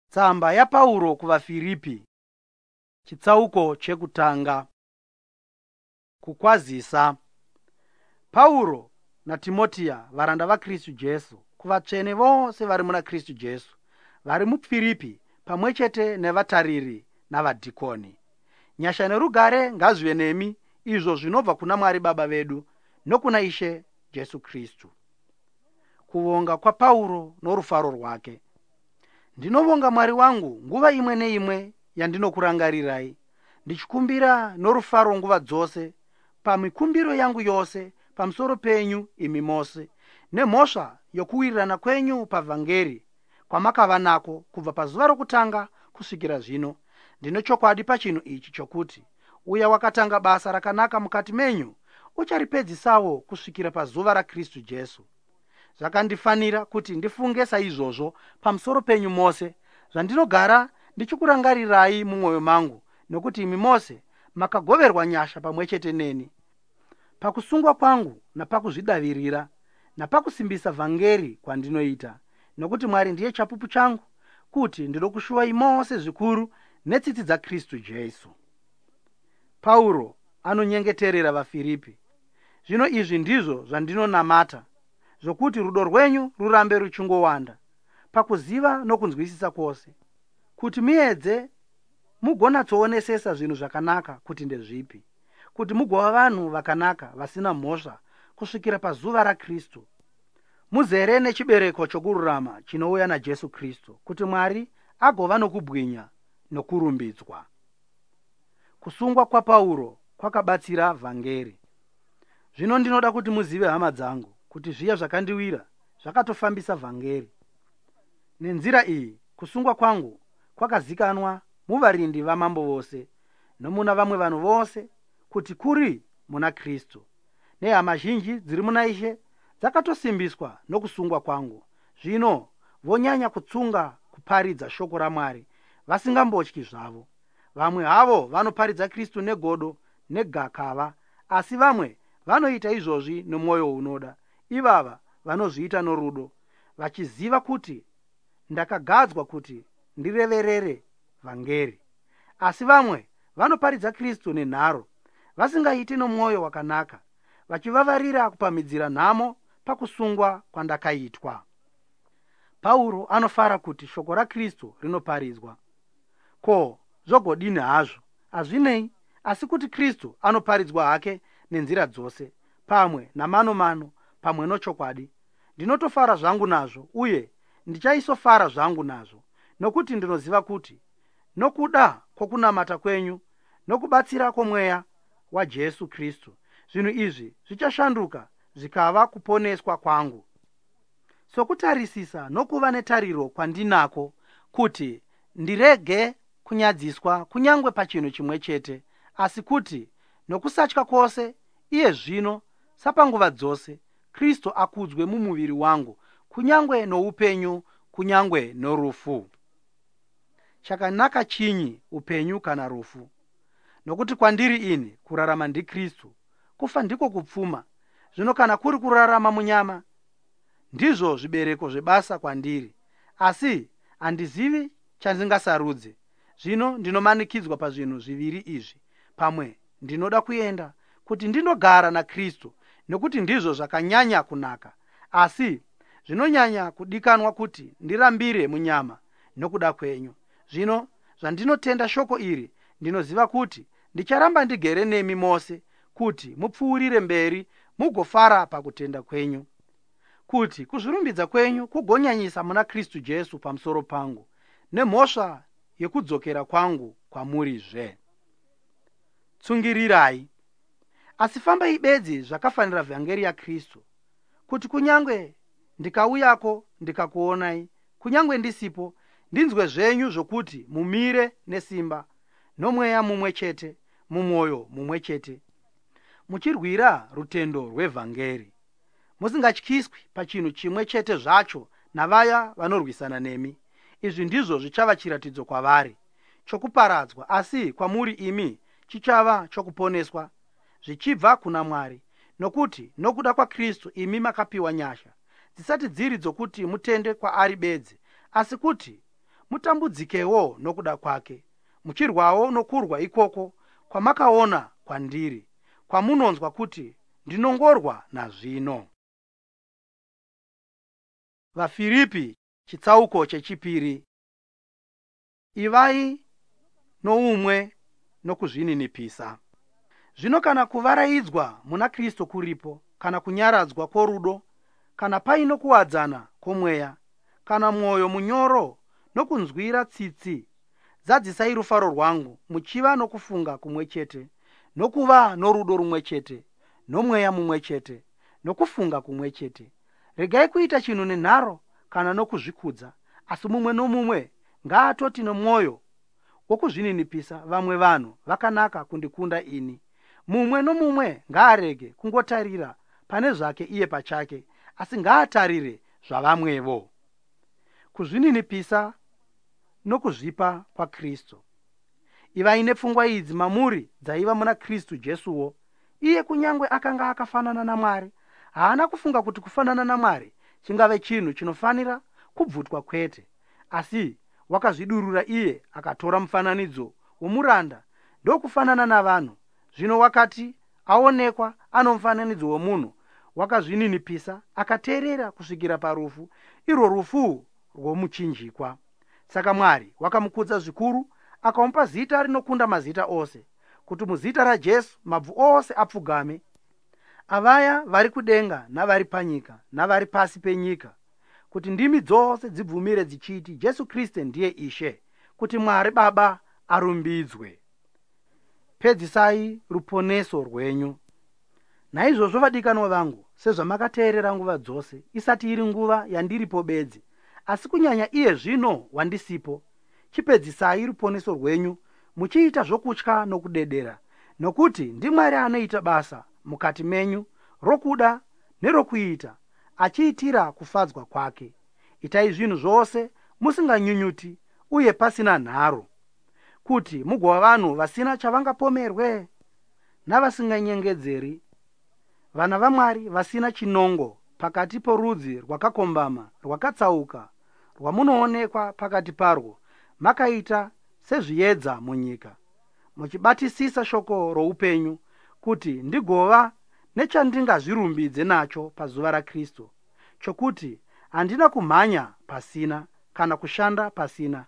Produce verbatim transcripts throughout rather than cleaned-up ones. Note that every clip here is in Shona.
Tsamba yaPauro kuvaFiripi, chitsauko chekutanga. Kukwazisa. Pauro naTimotiya, varanda vaKristu Jesu, kuvatsvene vose vari muna Kristu Jesu, vari muFiripi, pamwe chete nevatariri navadhikoni. Nyasha nerugare ngazvive nemi, izvo zvinobva kuna Mwari Baba vedu nokuna Ishe Jesu Kristu. Kuvonga kwaPauro norufaro rwake. Ndinovonga Mwari wangu nguva imwe neimwe yandinokurangarirai, ndichikumbira norufaro nguva dzose pamikumbiro yangu yose pamusoro penyu imi mose, nemhosva yokuwirirana kwenyu pavhangeri kwamakava nako kubva pazuva rokutanga kusvikira zvino. Ndine chokwadi pachinhu ichi chokuti uya wakatanga basa rakanaka mukati menyu ucharipedzisawo kusvikira pazuva raKristu Jesu. Zvakandifanira kuti ndifunge saizvozvo pamusoro penyu mose, zvandinogara ndichikurangarirai mumwoyo mangu, nokuti imi mose makagoverwa nyasha pamwe chete neni pakusungwa kwangu napakuzvidavirira napakusimbisa vhangeri kwandinoita. Nokuti Mwari ndiye chapupu changu kuti ndinokushuwai mose zvikuru netsitsi dzaKristu Jesu. Pauro anonyengeterera vaFiripi. Zvino izvi ndizvo zvandinonamata, zvokuti rudo rwenyu rurambe ruchingowanda pakuziva nokunzwisisa kwose, kuti muedze mugonatsoonesesa zvinhu zvakanaka kuti ndezvipi, kuti mugova vanhu vakanaka vasina mhosva kusvikira pazuva raKristu, muzere nechibereko chokururama chinouya naJesu Kristu, kuti Mwari agova nokubwinya nokurumbidzwa. Kusungwa kwaPauro kwakabatsira vhangeri. Zvino ndinoda kuti muzive, hama dzangu, kuti zviya zvakandiwira zvakatofambisa vhangeri. Nenzira iyi kusungwa kwangu kwakazikanwa muvarindi vamambo vose nomuna vamwe vanhu vose kuti kuri muna Kristu. Nehama zhinji dziri muna Ishe dzakatosimbiswa nokusungwa kwangu. Zvino vonyanya kutsunga kuparidza shoko raMwari vasingambotyi zvavo. Vamwe havo vanoparidza Kristu negodo negakava, asi vamwe vanoita izvozvi nomwoyo unoda. Ivava vanozviita norudo, vachiziva kuti ndakagadzwa kuti ndireverere vhangeri. Asi vamwe vanoparidza Kristu nenharo, vasingaiti nomwoyo wakanaka, vachivavarira kupamhidzira nhamo pakusungwa kwandakaitwa. Pauro anofara kuti shoko raKristu rinoparidzwa. Ko, zvogodini hazvo? Hazvinei, asi kuti Kristu anoparidzwa hake nenzira dzose, pamwe namano-mano, pamwe nochokwadi. Ndinotofara zvangu nazvo, uye ndichaisofara zvangu nazvo, nokuti ndinoziva kuti nokuda kwokunamata kwenyu nokubatsira kwomweya waJesu Kristu, zvinhu izvi zvichashanduka zvikava kuponeswa kwangu. Sokutarisisa nokuva netariro kwandinako kuti ndirege kunyadziswa kunyange pachinhu chimwe chete, asi kuti nokusatya kwose iye zvino sapanguva dzose Kristu akudzwe mumuviri wangu, kunyange noupenyu kunyange norufu. Chakanaka chinyi, upenyu kana rufu? Nokuti kwandiri ini kurarama ndiKristu, kufa ndiko kupfuma. Zvino kana kuri kurarama munyama, ndizvo zvibereko zvebasa kwandiri, asi handizivi chandingasarudze. Zvino ndinomanikidzwa pazvinhu zviviri izvi: pamwe ndinoda kuenda kuti ndinogara naKristu, nokuti ndizvo zvakanyanya kunaka, asi zvinonyanya kudikanwa kuti ndirambire munyama nokuda kwenyu. Zvino zvandinotenda shoko iri, ndinoziva kuti ndicharamba ndigere nemi mose, kuti mupfuurire mberi mugofara pakutenda kwenyu, kuti kuzvirumbidza kwenyu kugonyanyisa muna Kristu Jesu pamusoro pangu, nemhosva yekudzokera kwangu kwamurizve. Tsungirirai, asi fambai bedzi zvakafanira vhangeri yaKristu, kuti kunyange ndikauyako ndikakuonai, kunyange ndisipo, ndinzwe zvenyu zvokuti mumire nesimba, nomweya mumwe chete, mumwoyo mumwe chete, muchirwira rutendo rwevhangeri, musingatyiswi pachinhu chimwe chete zvacho navaya vanorwisana nemi. Izvi ndizvo zvichava chiratidzo kwavari chokuparadzwa, asi kwamuri imi chichava chokuponeswa, zvichibva kuna Mwari. Nokuti nokuda kwaKristu imi makapiwa nyasha dzisati dziri dzokuti mutende kwaari bedzi, asi kuti mutambudzikewo nokuda kwake, muchirwawo nokurwa ikoko kwamakaona kwandiri, kwamunonzwa kuti ndinongorwa nazvino. VaFiripi chitsauko chechipiri. Ivai noumwe nokuzvininipisa. Zvino kana kuvaraidzwa muna Kristu kuripo, kana kunyaradzwa kworudo, kana paino kuwadzana kwomweya, kana mwoyo munyoro nokunzwira tsitsi, zadzisai rufaro rwangu muchiva nokufunga kumwe chete, nokuva norudo rumwe chete, nomweya mumwe chete, nokufunga kumwe chete. Regai kuita chinhu nenharo kana nokuzvikudza, asi mumwe nomumwe ngaatoti nomwoyo wokuzvininipisa vamwe vanhu vakanaka kundikunda ini. Mumwe nomumwe ngaarege kungotarira pane zvake iye pachake, asi ngaatarire zvavamwevo. Kuzvininipisa nokuzvipa kwaKristu. Ivai nepfungwa idzi mamuri dzaiva muna Kristu Jesuwo. Iye kunyange akanga akafanana naMwari, haana kufunga kuti kufanana naMwari chingave chinhu chinofanira kubvutwa kwete, asi wakazvidurura iye akatora mufananidzo womuranda ndokufanana navanhu. Zvino wakati aonekwa ano mufananidzo womunhu, wakazvininipisa akateerera kusvikira parufu, irwo rufu rwomuchinjikwa. Saka Mwari wakamukudza zvikuru, akamupa zita rinokunda mazita ose, kuti muzita raJesu mabvu ose apfugame, avaya vari kudenga navari panyika navari pasi penyika, kuti ndimi dzose dzibvumire dzichiti Jesu Kristu ndiye Ishe, kuti Mwari Baba arumbidzwe. Pedzisai ruponeso rwenyu. Naizvozvo vadikanwa vangu, sezvamakateerera nguva dzose, isati iri nguva yandiripo bedzi, asi kunyanya iye zvino wandisipo, chipedzisai ruponeso rwenyu muchiita zvokutya nokudedera, nokuti ndiMwari anoita basa mukati menyu rokuda nerokuita, achiitira kufadzwa kwake. Itai zvinhu zvose musinganyunyuti uye pasina nharo, kuti mugova vanhu vasina chavangapomerwe navasinganyengedzeri, vana vaMwari vasina chinongo pakati porudzi rwakakombama rwakatsauka rwamunoonekwa pakati parwo, makaita sezviedza munyika, muchibatisisa shoko roupenyu, kuti ndigova nechandingazvirumbidze nacho pazuva raKristu, chokuti handina kumhanya pasina kana kushanda pasina.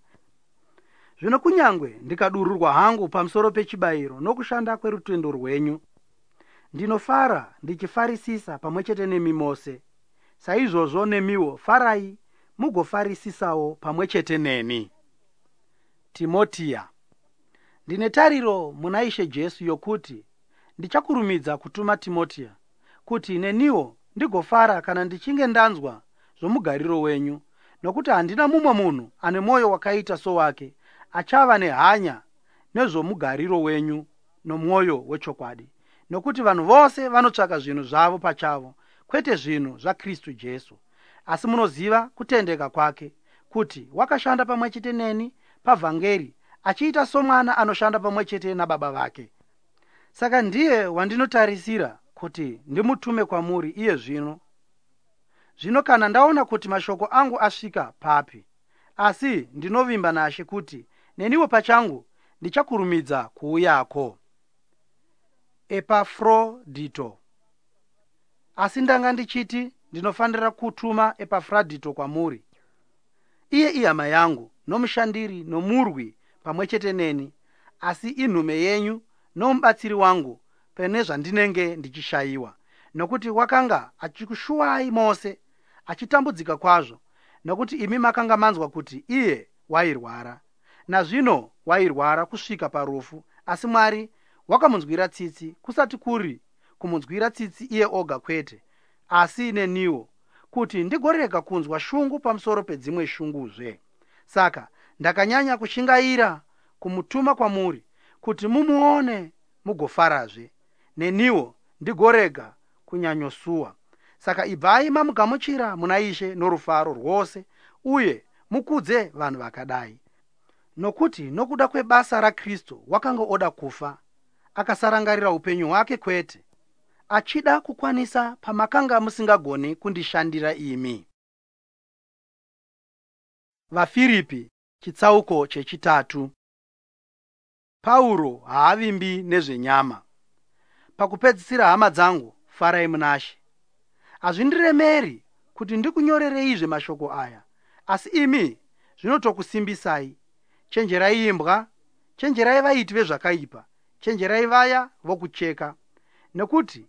Zvino kunyange ndikadururwa hangu pamusoro pechibayiro nokushanda kwerutendo rwenyu, ndinofara ndichifarisisa pamwe chete nemi mose. Saizvozvo nemiwo farai mugofarisisawo pamwe chete neni. Timotiya. Ndine tariro muna Ishe Jesu yokuti ndichakurumidza kutuma Timotiya, kuti neniwo ndigofara kana ndichinge ndanzwa zvomugariro wenyu, nokuti handina mumwe munhu ane mwoyo wakaita sowake, achava nehanya nezvomugariro wenyu nomwoyo wechokwadi. Nokuti vanhu vose vanotsvaka zvinhu zvavo pachavo, kwete zvinhu zvaKristu Jesu. Asi munoziva kutendeka kwake, kuti wakashanda pamwe chete neni pavhangeri, achiita somwana anoshanda pamwe chete nababa vake. Saka ndiye wandinotarisira kuti ndimutume kwamuri iye zvino. Zvino kana ndaona kuti mashoko angu asvika papi, asi ndinovimba naShe kuti neniwo pachangu ndichakurumidza kuuyako. Epafrodhito. Asi ndanga ndichiti ndinofanira kutuma Epafrodhito kwamuri. Iye ihama yangu, nomushandiri nomurwi pamwe chete neni, asi inhume yenyu nomubatsiri wangu pane zvandinenge ndichishayiwa, nokuti wakanga achikushuwai mose, achitambudzika kwazvo, nokuti imi makanga manzwa kuti iye wairwara. Nazvino wairwara kusvika parufu, asi Mwari wakamunzwira tsitsi, kusati kuri kumunzwira tsitsi iye oga kwete, asi neniwo, kuti ndigorega kunzwa shungu pamusoro pedzimwe shunguzve. Saka ndakanyanya kushingaira kumutuma kwamuri, kuti mumuone mugofarazve, neniwo ndigorega kunyanyosuwa. Saka ibvai mamugamuchira muna Ishe norufaro rwose, uye mukudze vanhu vakadai, nokuti nokuda kwebasa raKristu wakanga oda kufa, akasarangarira upenyu hwake kwete, achida kukwanisa pamakanga musingagoni kundishandira imi. VaFiripi Chitsauko chechitatu. Pauro haavimbi nezvenyama. Pakupedzisira, hama dzangu, farai munaShe. Hazvindiremeri kuti ndikunyorereizve mashoko aya, asi imi zvinotokusimbisai. Chenjerai imbwa, chenjerai vaiti vezvakaipa, chenjerai vaya vokucheka. Nekuti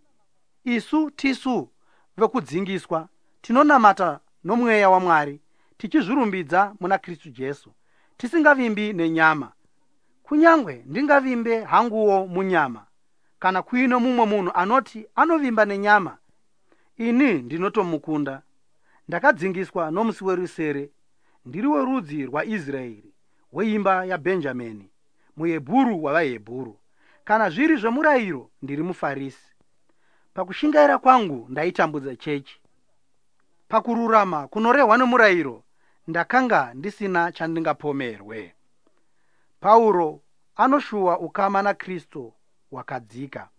isu tisu vekudzingiswa, tinonamata nomweya waMwari, tichizvirumbidza muna Kristu Jesu, tisingavimbi nenyama. Kunyange ndingavimbe hanguwo munyama, kana kuine mumwe munhu anoti anovimba nenyama, ini ndinotomukunda. Ndakadzingiswa nomusi werusere, ndiri werudzi rwaIsraeri, weimba yaBhenjamini, muHebhuru wavaHebhuru. Kana zviri zvemurayiro, ndiri muFarisi. Pakushingaira kwangu ndaitambudza chechi. Pakururama kunorehwa nomurayiro, ndakanga ndisina chandingapomerwe. Pauro anoshuwa ukama naKristu hwakadzika.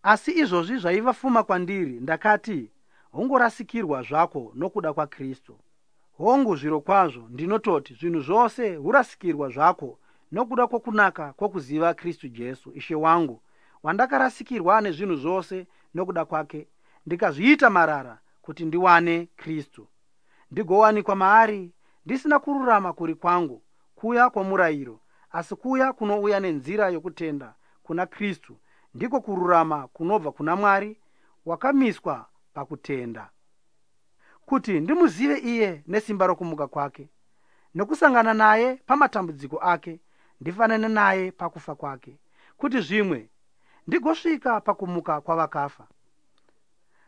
Asi izvozvi zvaiva fuma kwandiri, ndakati hungorasikirwa zvako nokuda kwaKristu. Hongu, zvirokwazvo ndinototi zvinhu zvose hurasikirwa zvako nokuda kwokunaka kwokuziva Kristu Jesu, Ishe wangu, wandakarasikirwa nezvinhu zvose nokuda kwake, ndikazviita marara kuti ndiwane Kristu, ndigowanikwa maari, ndisina kururama kuri kwangu, kuya kwomurayiro, asi kuya kunouya nenzira yokutenda kuna Kristu, ndiko kururama kunobva kuna Mwari, wakamiswa pakutenda. Kuti ndimuzive iye nesimba rokumuka kwake, nokusangana naye pamatambudziko ake, ndifanane naye pakufa kwake, kuti zvimwe ndigosvika pakumuka kwavakafa.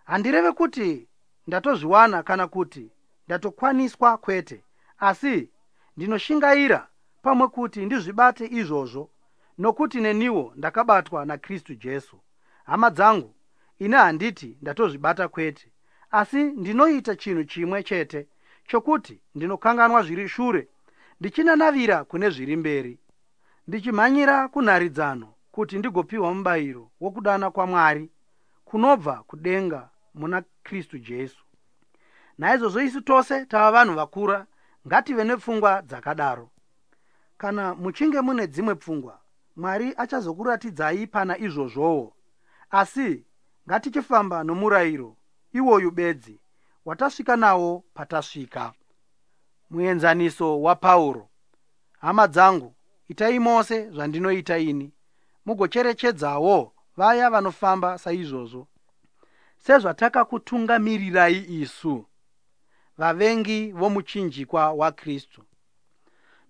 Handireve kuti ndatozviwana kana kuti ndatokwaniswa, kwete, asi ndinoshingaira pamwe kuti ndizvibate izvozvo, nokuti neniwo ndakabatwa naKristu Jesu. Hama dzangu, ini handiti ndatozvibata, kwete, asi ndinoita chinhu chimwe chete, chokuti ndinokanganwa zviri shure, ndichinanavira kune zviri mberi, ndichimhanyira kunharidzano, kuti ndigopiwa mubayiro wokudana kwaMwari kunobva kudenga muna Kristu Jesu. Naizvozvo isu tose tava vanhu vakura, ngative nepfungwa dzakadaro. Kana muchinge mune dzimwe pfungwa, Mwari achazokuratidzai pana izvozvowo. Asi ngatichifamba nomurayiro iwoyu bedzi watasvika nawo patasvika. Muenzaniso waPauro. Hama dzangu, itai mose zvandinoita ini, mugocherechedzawo vaya vanofamba saizvozvo, sezvatakakutungamirirai isu, vavengi vomuchinjikwa waKristu.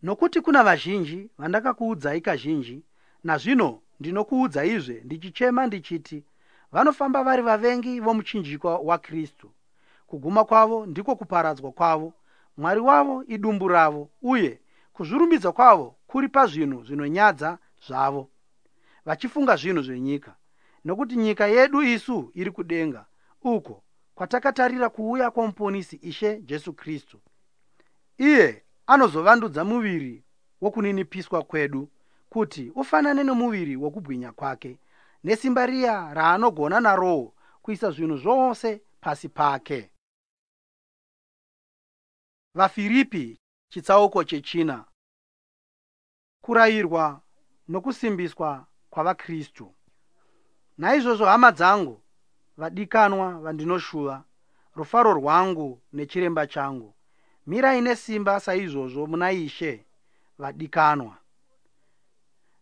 Nokuti kuna vazhinji vandakakuudzai kazhinji, nazvino ndinokuudzaizve ndichichema ndichiti, vanofamba vari vavengi vomuchinjikwa waKristu. Kuguma kwavo ndiko kuparadzwa kwavo, Mwari wavo idumbu ravo, uye kuzvirumbidza kwavo kuri pazvinhu zvinonyadza zvavo, vachifunga zvinhu zvenyika. Nokuti nyika yedu isu iri kudenga, uko kwatakatarira kuuya kwomuponisi Ishe Jesu Kristu. Iye anozovandudza muviri wokuninipiswa kwedu, kuti ufanane nomuviri wokubwinya kwake, nesimba riya raanogona narowo kuisa zvinhu zvose pasi pake. VaFiripi chitsauko chechina. Kurayirwa nokusimbiswa kwavaKristu. Naizvozvo, hama dzangu, vadikanwa vandinoshuva, rufaro rwangu nechiremba changu, mirai nesimba saizvozvo muna Ishe, vadikanwa.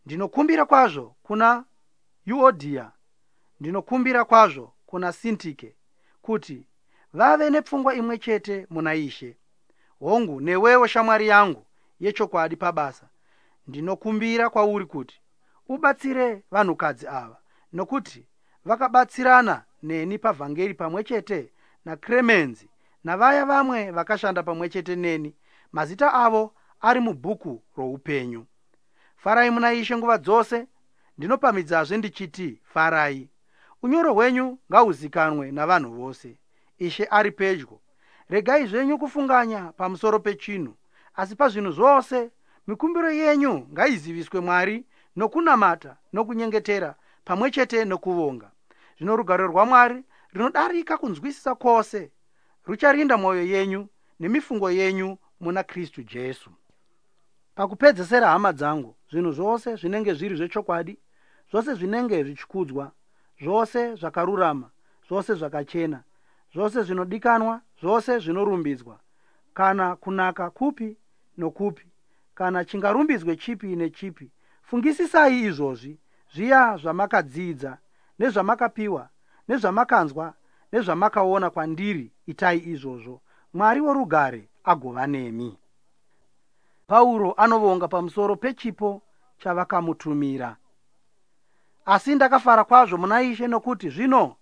Ndinokumbira kwazvo kuna Yuodhiya, ndinokumbira kwazvo kuna Sintike, kuti vave nepfungwa imwe chete muna Ishe. Hongu, newewo shamwari yangu yechokwadi pabasa, ndinokumbira kwauri kuti ubatsire vanhukadzi ava, nokuti vakabatsirana neni pavhangeri pamwe chete naKremenzi navaya vamwe vakashanda pamwe chete neni, mazita avo ari mubhuku roupenyu. Farai muna Ishe nguva dzose. Ndinopamhidzazve ndichiti farai. Unyoro hwenyu ngahuzikanwe navanhu vose. Ishe ari pedyo. Regai zvenyu kufunganya pamusoro pechinhu, asi pazvinhu zvose mikumbiro yenyu ngaiziviswe Mwari nokunamata nokunyengetera pamwe chete nokuvonga. Zvino rugare rwaMwari rinodarika kunzwisisa kwose rucharinda mwoyo yenyu nemifungo yenyu muna Kristu Jesu. Pakupedzesera, hama dzangu, zvinhu zvose zvinenge zviri zvechokwadi, zvose zvinenge zvichikudzwa, zvose zvakarurama, zvose zvakachena, zvose zvinodikanwa, zvose zvinorumbidzwa, kana kunaka kupi nokupi, kana chingarumbidzwe chipi nechipi, fungisisai izvozvi, zviya zvamakadzidza nezvamakapiwa nezvamakanzwa nezvamakaona kwandiri, itai izvozvo. Mwari worugare agova nemi. Pauro anovonga pamusoro pechipo chavakamutumira. Asi ndakafara kwazvo muna Ishe nokuti zvino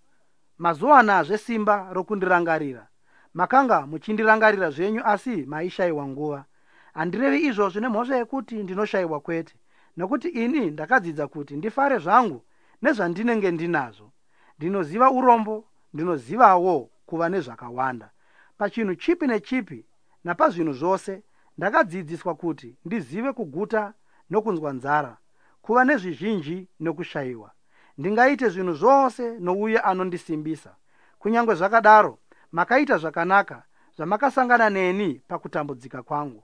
mazowanazve simba rokundirangarira. Makanga muchindirangarira zvenyu, asi maishayiwa nguva. Handirevi izvozvi nemhosva yekuti ndinoshayiwa, kwete, nokuti ini ndakadzidza kuti ndifare zvangu nezvandinenge ndinazvo. Ndinoziva urombo, ndinozivawo kuva nezvakawanda. Pachinhu chipi nechipi napazvinhu zvose ndakadzidziswa kuti ndizive kuguta nokunzwa nzara, kuva nezvizhinji nokushayiwa. Ndingaite zvinhu zvose nouye anondisimbisa. Kunyange zvakadaro, makaita zvakanaka zvamakasangana neni pakutambudzika kwangu.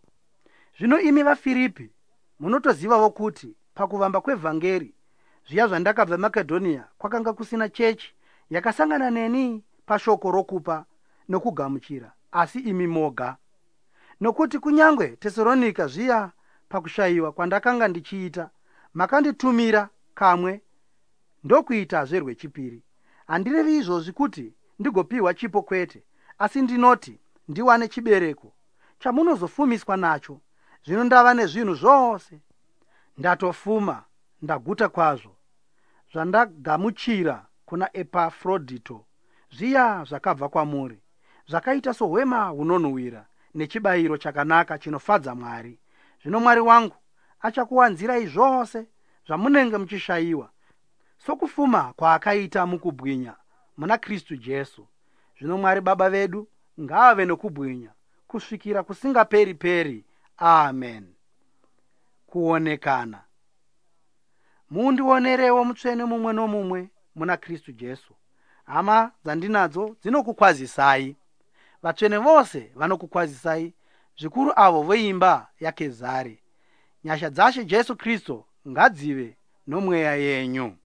Zvino imi vaFiripi munotozivawo kuti pakuvamba kwevhangeri, zviya zvandakabva Makedhonia, kwakanga kusina chechi yakasangana neni pashoko rokupa nokugamuchira, asi imi moga. Nokuti kunyange Tesaronika zviya pakushayiwa kwandakanga ndichiita, makanditumira kamwe ndokuitazve rwechipiri. Handirevi izvozvi kuti ndigopiwa chipo, kwete, asi ndinoti ndiwane chibereko chamunozofumiswa nacho. Zvino ndava nezvinhu zvose, ndatofuma, ndaguta kwazvo. Zvandagamuchira kuna Epafrodhito zviya zvakabva kwamuri, zvakaita sohwema hunonhuhwira nechibayiro chakanaka chinofadza Mwari. Zvino Mwari wangu achakuwanzirai zvose zvamunenge muchishayiwa, sokufuma kwaakaita mukubwinya muna Kristu Jesu. Zvino Mwari Baba vedu ngaave nokubwinya kusvikira kusingaperi-peri. Amen. Kuonekana. Mundionerewo mutsvene mumwe nomumwe muna Kristu Jesu. Hama dzandinadzo dzinokukwazisai. Vatsvene vose vanokukwazisai, zvikuru avo veimba yaKezari. Nyasha dzaShe Jesu Kristu ngadzive nomweya yenyu.